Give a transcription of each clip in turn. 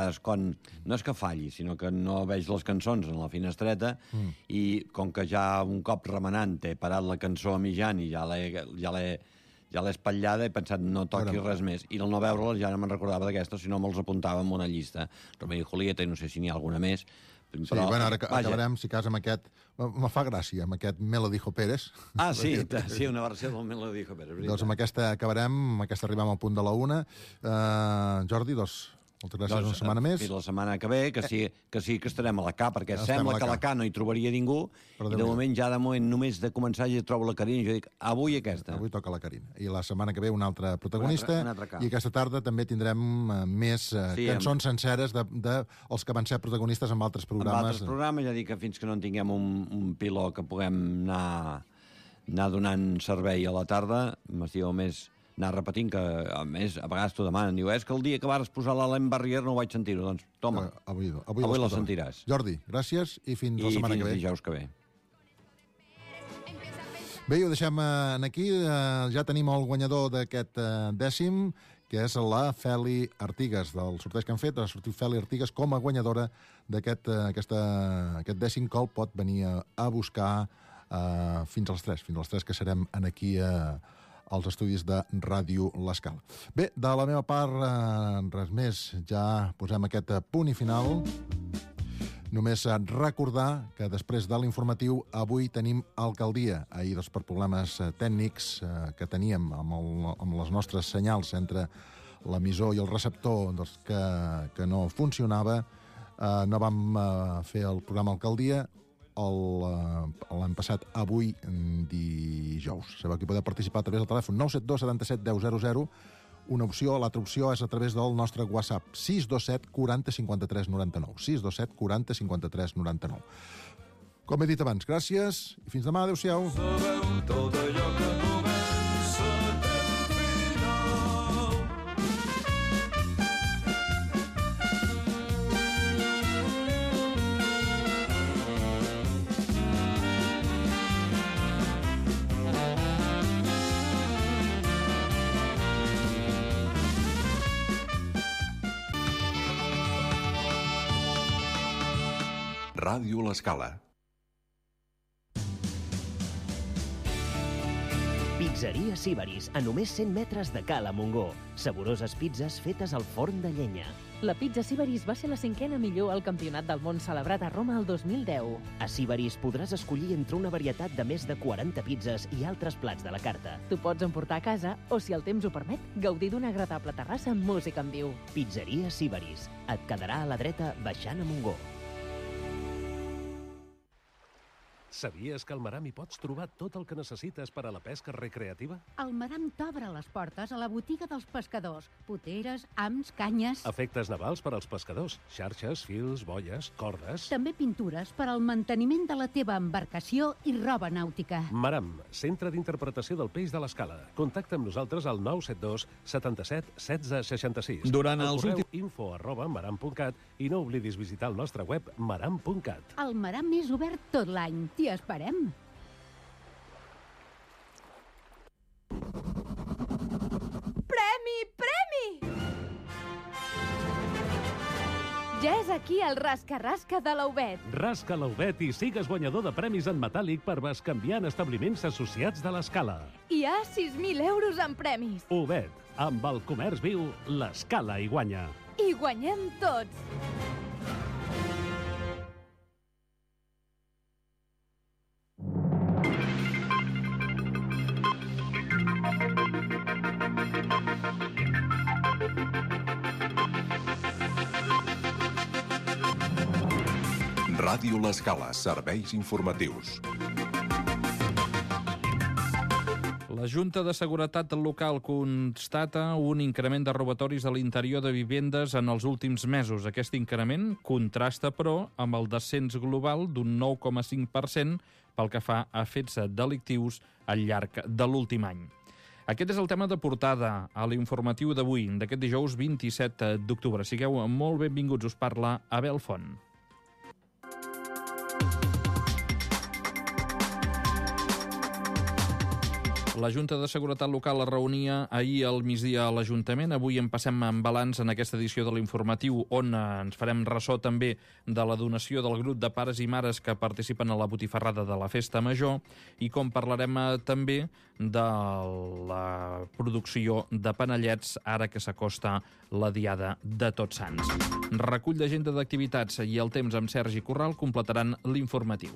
vegades quan... No és que falli, sinó que no veig les cançons en la finestreta i com que ja un cop remenant he parat la cançó a mitjan i ja l'he espatllada, he pensat no toqui res més. I al no veure-la ja no me'n recordava d'aquesta, sinó me'ls apuntava en una llista. Romeo i Julieta, i no sé si n'hi ha alguna més. Sí, però, bueno, ara acabarem, si cas, amb aquest... Me fa gràcia, amb aquest Me lo dijo Pérez. Ah, sí, una versió del Me lo dijo Pérez. Doncs amb aquesta acabarem, amb aquesta arribem al punt de la 1. Jordi, moltes gràcies una setmana més. Fins la setmana que ve, que sí que estarem a la K, perquè sembla que a la K no hi trobaria ningú, i de moment, només de començar ja trobo la Carina, i jo dic, avui aquesta. Avui toca la Carina. I la setmana que ve un altre protagonista, i aquesta tarda també tindrem més cançons senceres dels que van ser protagonistes en altres programes. En altres programes, ja dic que fins que no en tinguem un piló que puguem anar donant servei a la tarda, m'estiu més... anar repetint que, a més, a vegades t'ho demanen. Diu, és que el dia que vas posar l'Alain Barrier no ho vaig sentir-ho. Doncs, toma, avui la sentiràs. Jordi, gràcies i fins la setmana que ve. I fins dijous que ve. Bé, ho deixem aquí. Ja tenim el guanyador d'aquest dècim, que és la Feli Artigas, del sorteig que han fet. Ha sortit Feli Artigas com a guanyadora d'aquest dècim que el pot venir a buscar fins a les 3. Fins a les 3 que serem aquí als estudis de Ràdio L'Escala. Bé, de la meva part, res més. Ja posem aquest punt i final. Només recordar que després de l'informatiu avui tenim alcaldia. Ahir, per problemes tècnics que teníem amb les nostres senyals entre l'emissor i el receptor que no funcionava, no vam fer el programa alcaldia. L'hem passat avui dijous. Sabeu que podeu participar a través del telèfon 972 77 10 00. Una opció, l'altra opció és a través del nostre WhatsApp 627 40 53 99. 627 40 53 99. Com he dit abans, gràcies i fins demà. Adéu-siau. Sabeu tot allò que comença té final. Ràdio L'Escala. Pizzeria Síbaris, a només 100 metres de Cala Montgó. Saboroses pizzas fetes al forn de llenya. La pizza Síbaris va ser la 5a millor al Campionat del Món celebrat a Roma el 2010. A Síbaris podràs escollir entre una varietat de més de 40 pizzas i altres plats de la carta. Tu pots emportar a casa o, si el temps ho permet, gaudir d'una agradable terrassa amb música en viu. Pizzeria Síbaris. Et quedarà a la dreta baixant a Montgó. Sabies que al Maram hi pots trobar tot el que necessites per a la pesca recreativa? El Maram t'obre les portes a la botiga dels pescadors. Poteres, hams, canyes... Efectes navals per als pescadors. Xarxes, fils, boies, cordes... També pintures per al manteniment de la teva embarcació i roba nàutica. Maram, centre d'interpretació del peix de l'Escala. Contacta amb nosaltres al 972 77 16 66. Durant els últims... info@maram.cat i no oblidis visitar el nostre web maram.cat. El Maram és obert tot l'any. T'hi esperem. Premi! Ja és aquí el rasca-rasca de l'Aubet. Rasca l'Aubet i sigues guanyador de premis en metàl·lic per bescanviar en establiments associats de l'Escala. Hi ha 6.000 euros en premis. Aubet, amb el comerç viu, l'Escala hi guanya. I guanyem tots. Ràdio L'Escala, serveis informatius. La Junta de Seguretat Local constata un increment de robatoris a l'interior de vivendes en els últims mesos. Aquest increment contrasta, però, amb el descens global d'un 9,5% pel que fa a fets delictius al llarg de l'últim any. Aquest és el tema de portada a l'informatiu d'avui, d'aquest dijous 27 d'octubre. Sigueu molt benvinguts, us parla Abel Font. La Junta de Seguretat Local es reunia ahir al migdia a l'Ajuntament. Avui en passem en balanç en aquesta edició de l'informatiu, on ens farem ressò també de la donació del grup de pares i mares que participen a la botifarrada de la Festa Major, i com parlarem també de la producció de panellets ara que s'acosta la Diada de Tots Sants. Recull d'agenda d'activitats i el temps amb Sergi Corral completaran l'informatiu.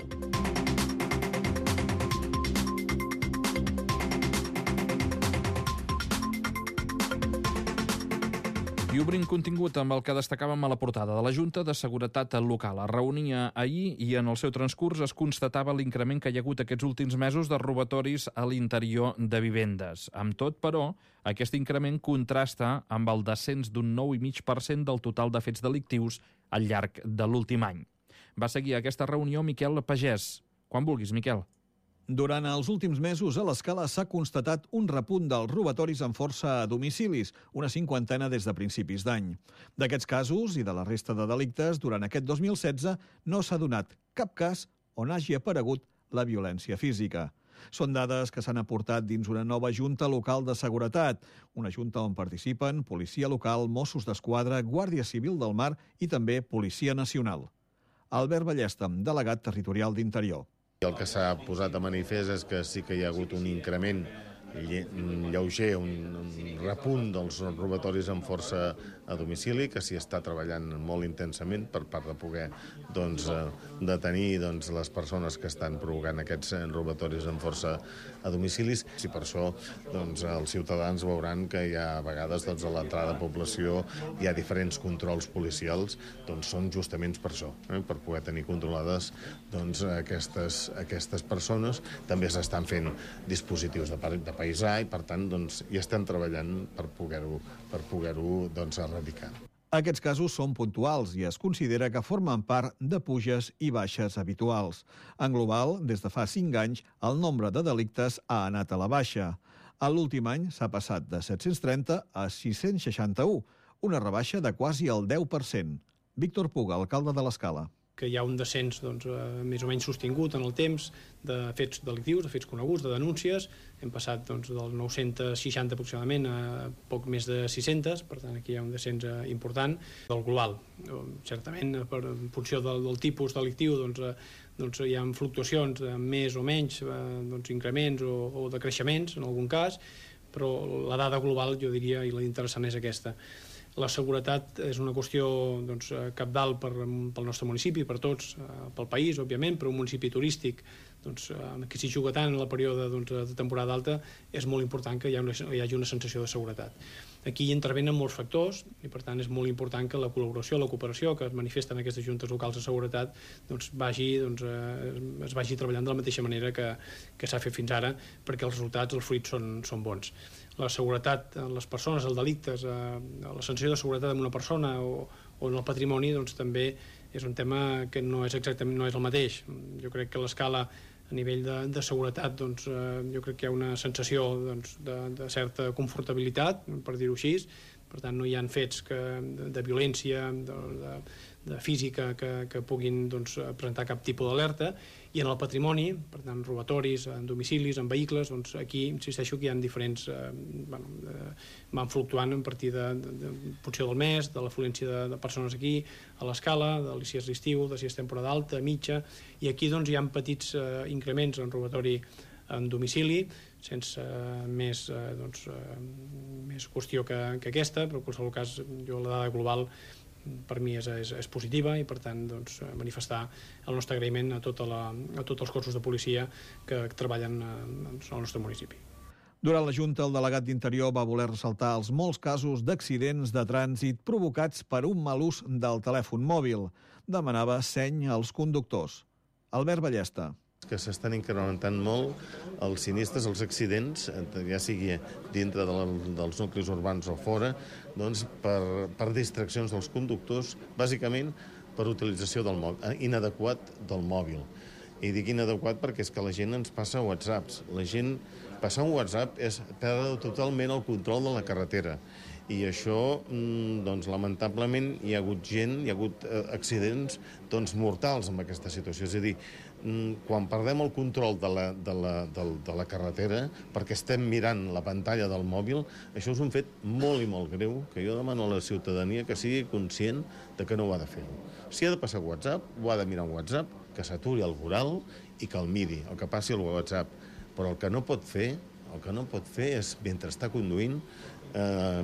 I obrim contingut amb el que destacàvem a la portada de la Junta de Seguretat Local. Es reunia ahir i en el seu transcurs es constatava l'increment que hi ha hagut aquests últims mesos de robatoris a l'interior de vivendes. Amb tot, però, aquest increment contrasta amb el descens d'un 9,5% del total de fets delictius al llarg de l'últim any. Va seguir aquesta reunió Miquel Pagès. Quan vulguis, Miquel. Durant els últims mesos a l'Escala s'ha constatat un repunt dels robatoris amb força a domicilis, una 50 des de principis d'any. D'aquests casos i de la resta de delictes, durant aquest 2016 no s'ha donat cap cas on hagi aparegut la violència física. Són dades que s'han aportat dins una nova Junta Local de Seguretat, una junta on participen Policia Local, Mossos d'Esquadra, Guàrdia Civil del Mar i també Policia Nacional. Albert Ballesta, delegat territorial d'Interior. El que s'ha posat a manifest és que sí que hi ha hagut un increment lleuger, un repunt dels robatoris amb força a domicili, que s'hi està treballant molt intensament per part de poder detenir les persones que estan provocant aquests robatoris amb força a domicilis. I per això els ciutadans veuran que hi ha a vegades a l'entrada de població hi ha diferents controls policials, són justament per això, per poder tenir controlades aquestes persones. També s'estan fent dispositius de paisà i, per tant, hi estem treballant per poder-ho erradicar. Aquests casos són puntuals i es considera que formen part de puges i baixes habituals. En global, des de fa 5 anys, el nombre de delictes ha anat a la baixa. A l'últim any s'ha passat de 730 a 661, una rebaixa de quasi el 10%. Víctor Puga, alcalde de l'Escala. Que hi ha un descens més o menys sostingut en el temps de fets delictius, de fets coneguts, de denúncies. Hem passat dels 960 aproximadament a poc més de 600, per tant aquí hi ha un descens important del global. Certament, en funció del tipus delictiu, hi ha fluctuacions de més o menys, increments o decreixements en algun cas, però la dada global, jo diria, i la interessant és aquesta. La seguretat és una qüestió cabdal pel nostre municipi, per tots, pel país, òbviament, però un municipi turístic que s'hi juga tant en el període de temporada alta, és molt important que hi hagi una sensació de seguretat. Aquí hi intervenen molts factors i, per tant, és molt important que la col·laboració, la cooperació que es manifesta en aquestes juntes locals de seguretat es vagi treballant de la mateixa manera que s'ha fet fins ara, perquè els resultats, els fruits són bons. La seguretat en les persones, el delicte, la sensació de seguretat en una persona o en el patrimoni també és un tema que no és el mateix. Jo crec que a l'Escala, a nivell de seguretat, jo crec que hi ha una sensació de certa confortabilitat, per dir-ho així. Per tant, no hi ha fets de violència, de física que puguin presentar cap tipus d'alerta. I en el patrimoni, per tant, robatoris, en domicilis, en vehicles, aquí insisteixo que hi ha diferents... van fluctuant a partir de funció del mes, de l'afluència de persones aquí, a l'Escala, si és l'estiu, si és temporada alta, mitja, i aquí hi ha petits increments en robatori en domicili, sense més qüestió que aquesta, però en qualsevol cas la dada global per mi és positiva i, per tant, manifestar el nostre agraïment a tots els cossos de policia que treballen al nostre municipi. Durant la Junta, el delegat d'Interior va voler ressaltar els molts casos d'accidents de trànsit provocats per un mal ús del telèfon mòbil. Demanava seny als conductors. Albert Ballesta. Que s'estan incrementant molt els sinistres, els accidents, ja sigui dintre dels nuclis urbans o fora, per distraccions dels conductors, bàsicament per utilització inadequat del mòbil. I dic inadequat perquè és que la gent ens passa whatsapps. La gent passar un WhatsApp és perdre totalment el control de la carretera. I això, doncs, lamentablement, hi ha hagut gent, hi ha hagut accidents mortals en aquesta situació. És a dir, quan perdem el control de la carretera perquè estem mirant la pantalla del mòbil, això és un fet molt i molt greu, que jo demano a la ciutadania que sigui conscient de que no ho ha de fer. Si ha de passar WhatsApp, ho ha de mirar en WhatsApp, que s'aturi el voral i que el miri, el que passi al WhatsApp. Però el que no pot fer és, mentre està conduint,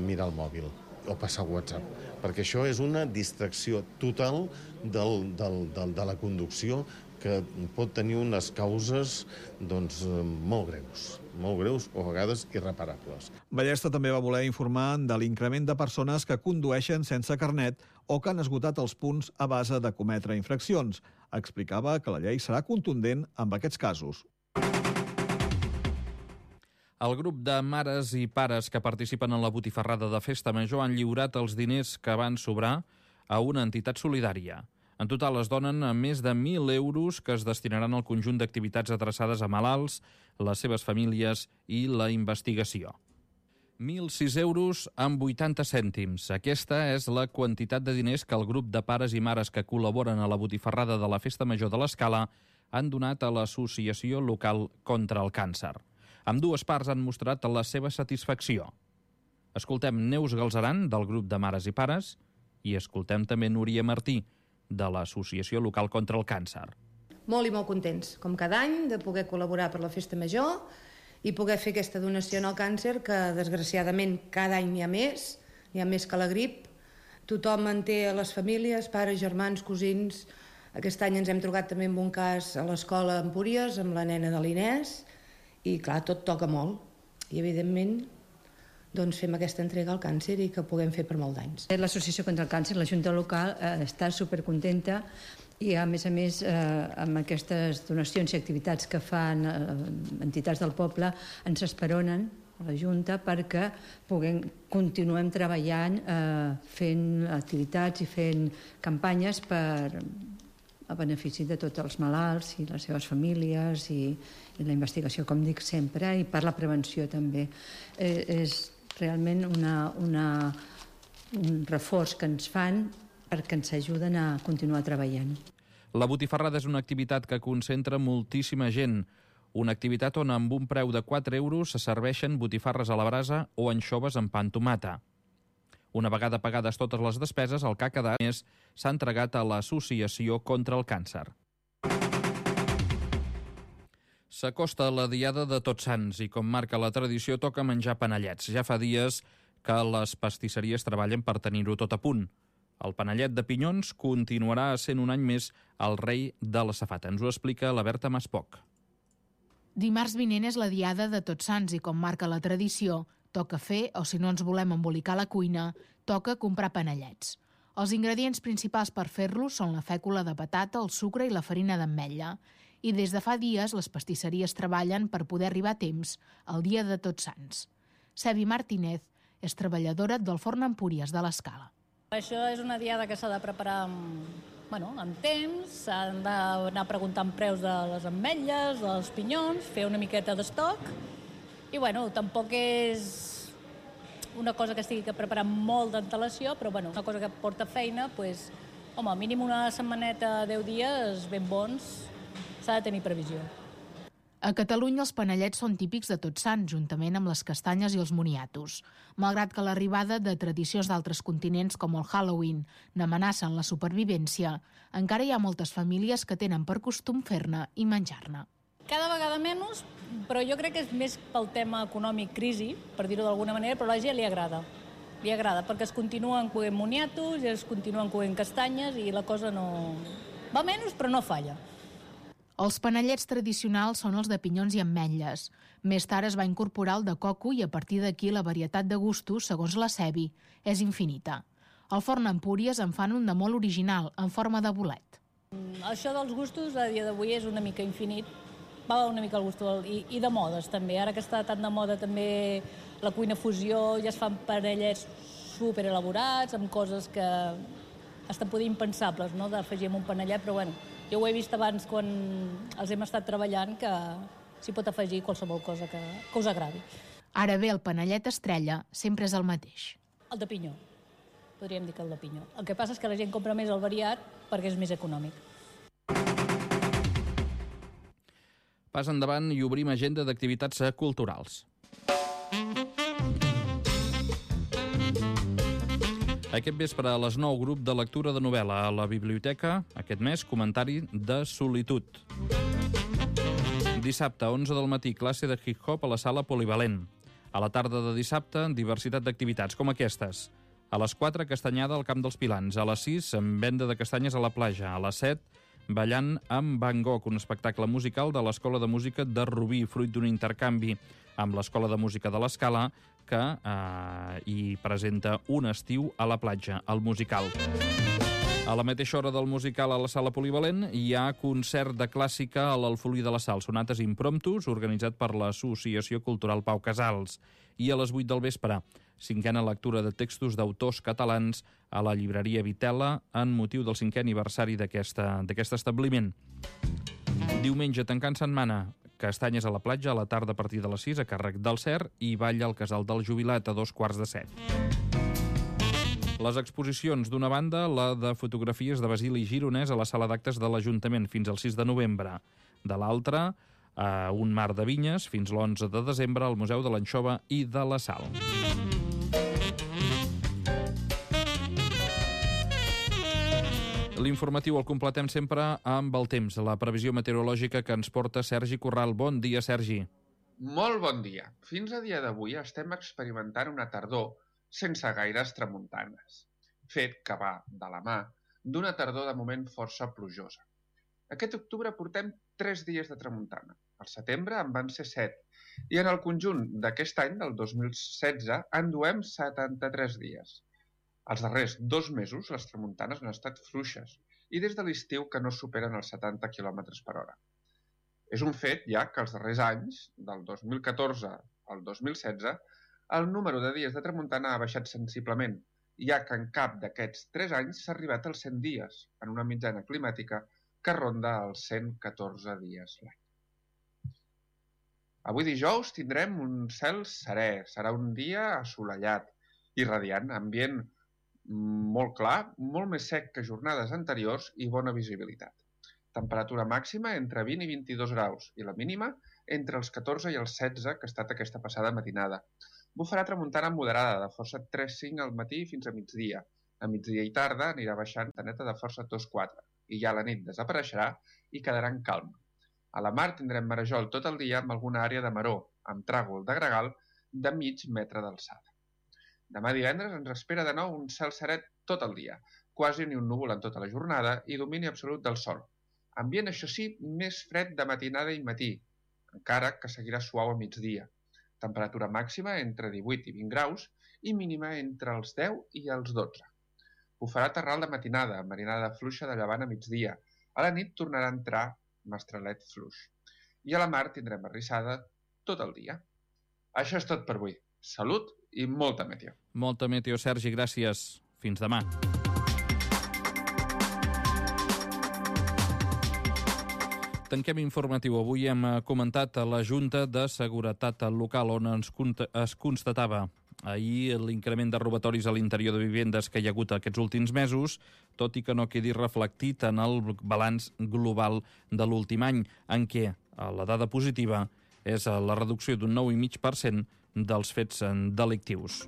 mirar el mòbil o passar WhatsApp, perquè això és una distracció total de la conducció que pot tenir unes causes molt greus o a vegades irreparables. Ballesta també va voler informar de l'increment de persones que condueixen sense carnet o que han esgotat els punts a base de cometre infraccions. Explicava que la llei serà contundent amb aquests casos. El grup de mares i pares que participen en la botifarrada de Festa Major han lliurat els diners que van sobrar a una entitat solidària. En total es donen més de 1.000 euros que es destinaran al conjunt d'activitats adreçades a malalts, les seves famílies i la investigació. 1.006 euros amb 80 cèntims. Aquesta és la quantitat de diners que el grup de pares i mares que col·laboren a la botifarrada de la Festa Major de l'Escala han donat a l'Associació Local contra el Càncer. Ambdues parts han mostrat la seva satisfacció. Escoltem Neus Galzeran, del grup de mares i pares, i escoltem també Núria Martí, de l'Associació Local contra el Càncer. Molt i molt contents, com cada any, de poder col·laborar per la Festa Major i poder fer aquesta donació al càncer, que desgraciadament cada any n'hi ha més que la grip. Tothom en té a les famílies, pares, germans, cosins. Aquest any ens hem trobat també amb un cas a l'escola Empúries, amb la nena de l'Inès, i clar, tot toca molt. I evidentment fem aquesta entrega al càncer i que puguem fer per molt d'anys. L'Associació contra el Càncer, la Junta Local, està supercontenta i, a més, amb aquestes donacions i activitats que fan entitats del poble, ens esperonen a la Junta perquè continuem treballant fent activitats i fent campanyes a benefici de tots els malalts i les seves famílies i la investigació, com dic sempre, i per la prevenció també. És realment un reforç que ens fan perquè ens ajuden a continuar treballant. La botifarrada és una activitat que concentra moltíssima gent. Una activitat on amb un preu de 4 euros se serveixen botifarres a la brasa o anxoves amb pa amb tomata. Una vegada pagades totes les despeses, el que ha quedat més s'ha entregat a l'Associació contra el Càncer. S'acosta la diada de Tots Sants i, com marca la tradició, toca menjar panellets. Ja fa dies que les pastisseries treballen per tenir-ho tot a punt. El panellet de pinyons continuarà sent un any més el rei de la safata. Ens ho explica la Berta Maspoc. Dimarts vinent és la diada de Tots Sants i, com marca la tradició, toca fer, o si no ens volem embolicar la cuina, toca comprar panellets. Els ingredients principals per fer-los són la fècula de patata, el sucre i la farina d'ametlla. I des de fa dies les pastisseries treballen per poder arribar a temps al dia de Tots Sants. Sebi Martínez és treballadora del forn Empúries de l'Escala. Això és una diada que s'ha de preparar amb temps, s'han d'anar preguntant preus de les ametlles, dels pinyons, fer una miqueta d'estoc i tampoc és una cosa que estigui que preparar molt d'antelació, però una cosa que porta feina, mínim una setmaneta, 10 dies ben bons, s'ha de tenir previsió. A Catalunya els panellets són típics de Tots Sants, juntament amb les castanyes i els moniatos. Malgrat que l'arribada de tradicions d'altres continents, com el Halloween, n'amenacen la supervivència, encara hi ha moltes famílies que tenen per costum fer-ne i menjar-ne. Cada vegada menys, però jo crec que és més pel tema econòmic, crisi, per dir-ho d'alguna manera, però a la gent li agrada. Li agrada, perquè es continuen coent moniatos, es continuen coent castanyes i la cosa no... va menys, però no falla. Els panellets tradicionals són els de pinyons i ametlles. Més tard es va incorporar el de coco i a partir d'aquí la varietat de gustos, segons la Sebi, és infinita. Al forn Empúries en fan un de molt original, en forma de bolet. Això dels gustos a dia d'avui és una mica infinit. Va una mica al gust i de modes també. Ara que està tan de moda també la cuina fusió, ja es fan panellets superelaborats, amb coses que estan poder impensables, no?, d'afegir en un panellet, però jo ho he vist abans quan els hem estat treballant, que s'hi pot afegir qualsevol cosa que us agradi. Ara bé, el panellet estrella sempre és el mateix. El de pinyó. Podríem dir que el de pinyó. El que passa és que la gent compra més el variat perquè és més econòmic. Pas endavant i obrim agenda d'activitats culturals. Aquest vespre a les 9, grup de lectura de novel·la a la biblioteca. Aquest mes, comentari de solitud. Dissabte, 11 del matí, classe de hip-hop a la sala polivalent. A la tarda de dissabte, diversitat d'activitats, com aquestes. A les 4, castanyada al Camp dels Pilans. A les 6, venda de castanyes a la platja. A les 7, ballant amb Van Gogh, un espectacle musical de l'Escola de Música de Rubí, fruit d'un intercanvi amb l'Escola de Música de l'Escala, que hi presenta Un estiu a la platja, el musical. A la mateixa hora del musical a la sala polivalent hi ha concert de clàssica a l'Alfolí de la Sal, sonates impromptus, organitzat per l'Associació Cultural Pau Casals. I a les 8 del vespre, 5a lectura de textos d'autors catalans a la llibreria Vitela en motiu del 5è aniversari d'aquest establiment. Diumenge, tancant setmana, castanyes a la platja a la tarda a partir de les 6 a càrrec del CER i ball al Casal del Jubilat a 2:15. Les exposicions, d'una banda, la de fotografies de Basili Gironès a la sala d'actes de l'Ajuntament fins al 6 de novembre. De l'altra, un mar de vinyes fins l'11 de desembre al Museu de l'Anxova i de la Sal. L'informatiu el completem sempre amb el temps, la previsió meteorològica que ens porta Sergi Corral. Bon dia, Sergi. Molt bon dia. Fins a dia d'avui estem experimentant una tardor sense gaires tramuntanes, fet que va de la mà d'una tardor de moment força plujosa. Aquest octubre portem 3 dies de tramuntana. Al setembre en van ser 7, i en el conjunt d'aquest any, del 2016, en duem 73 dies. Els darrers 2 mesos les tramuntanes han estat fluixes i des de l'estiu que no superen els 70 km per hora. És un fet ja que els darrers anys, del 2014 al 2016, el número de dies de tramuntana ha baixat sensiblement, ja que en cap d'aquests 3 anys s'ha arribat als 100 dies, en una mitjana climàtica que ronda els 114 dies l'any. Avui dijous tindrem un cel serè, serà un dia assolellat i radiant, ambient molt clar, molt més sec que jornades anteriors i bona visibilitat. Temperatura màxima entre 20 i 22 graus i la mínima entre els 14 i els 16 que ha estat aquesta passada matinada. Bufarà tramuntana moderada de força 3-5 al matí fins a migdia. A migdia i tarda anirà baixant taneta de força 2-4 i ja a la nit desapareixerà i quedarà en calma. A la mar tindrem marejol tot el dia amb alguna àrea de maror, amb tràgol de gregal de mig metre d'alçada. Demà divendres ens espera de nou un cel serè tot el dia, quasi ni un núvol en tota la jornada i domini absolut del sol. Ambient, això sí, més fred de matinada i matí, encara que seguirà suau a migdia. Temperatura màxima entre 18 i 20 graus i mínima entre els 10 i els 12. Bufarà terral de matinada, marinada fluixa de llevant a migdia. A la nit tornarà a entrar mestralet fluix. I a la mar tindrem arrissada tot el dia. Això és tot per avui. Salut i molta meteo. Molta meteo, Sergi, gràcies. Fins demà. Tanquem informatiu. Avui hem comentat a la Junta de Seguretat Local, on es constatava ahir l'increment de robatoris a l'interior de vivendes que hi ha hagut aquests últims mesos, tot i que no quedi reflectit en el balanç global de l'últim any, en què la dada positiva és la reducció d'un 9,5% dels fets delictius.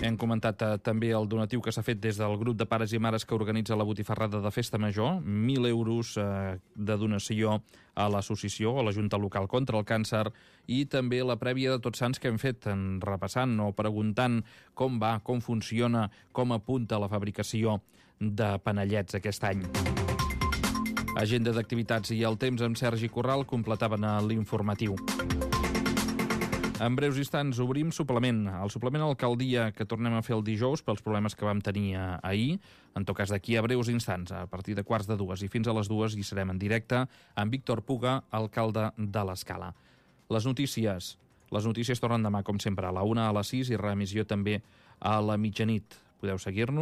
Hem comentat també el donatiu que s'ha fet des del grup de pares i mares que organitza la botifarrada de Festa Major, 1.000 euros de donació a l'associació, a la Junta Local contra el Càncer, i també la prèvia de Tots Sants que hem fet, repassant o preguntant com va, com funciona, com apunta la fabricació de panellets aquest any. Agenda d'activitats i el temps amb Sergi Corral completaven l'informatiu. En breus instants obrim suplement. El suplement Alcaldia que tornem a fer el dijous pels problemes que vam tenir ahir. En tot cas, d'aquí a breus instants, a partir de 1:45 i fins a les 2 hi serem en directe amb Víctor Puga, alcalde de l'Escala. Les notícies tornen demà, com sempre, a la 1, a les 6 i reemissió també a la mitjanit. Podeu seguir-nos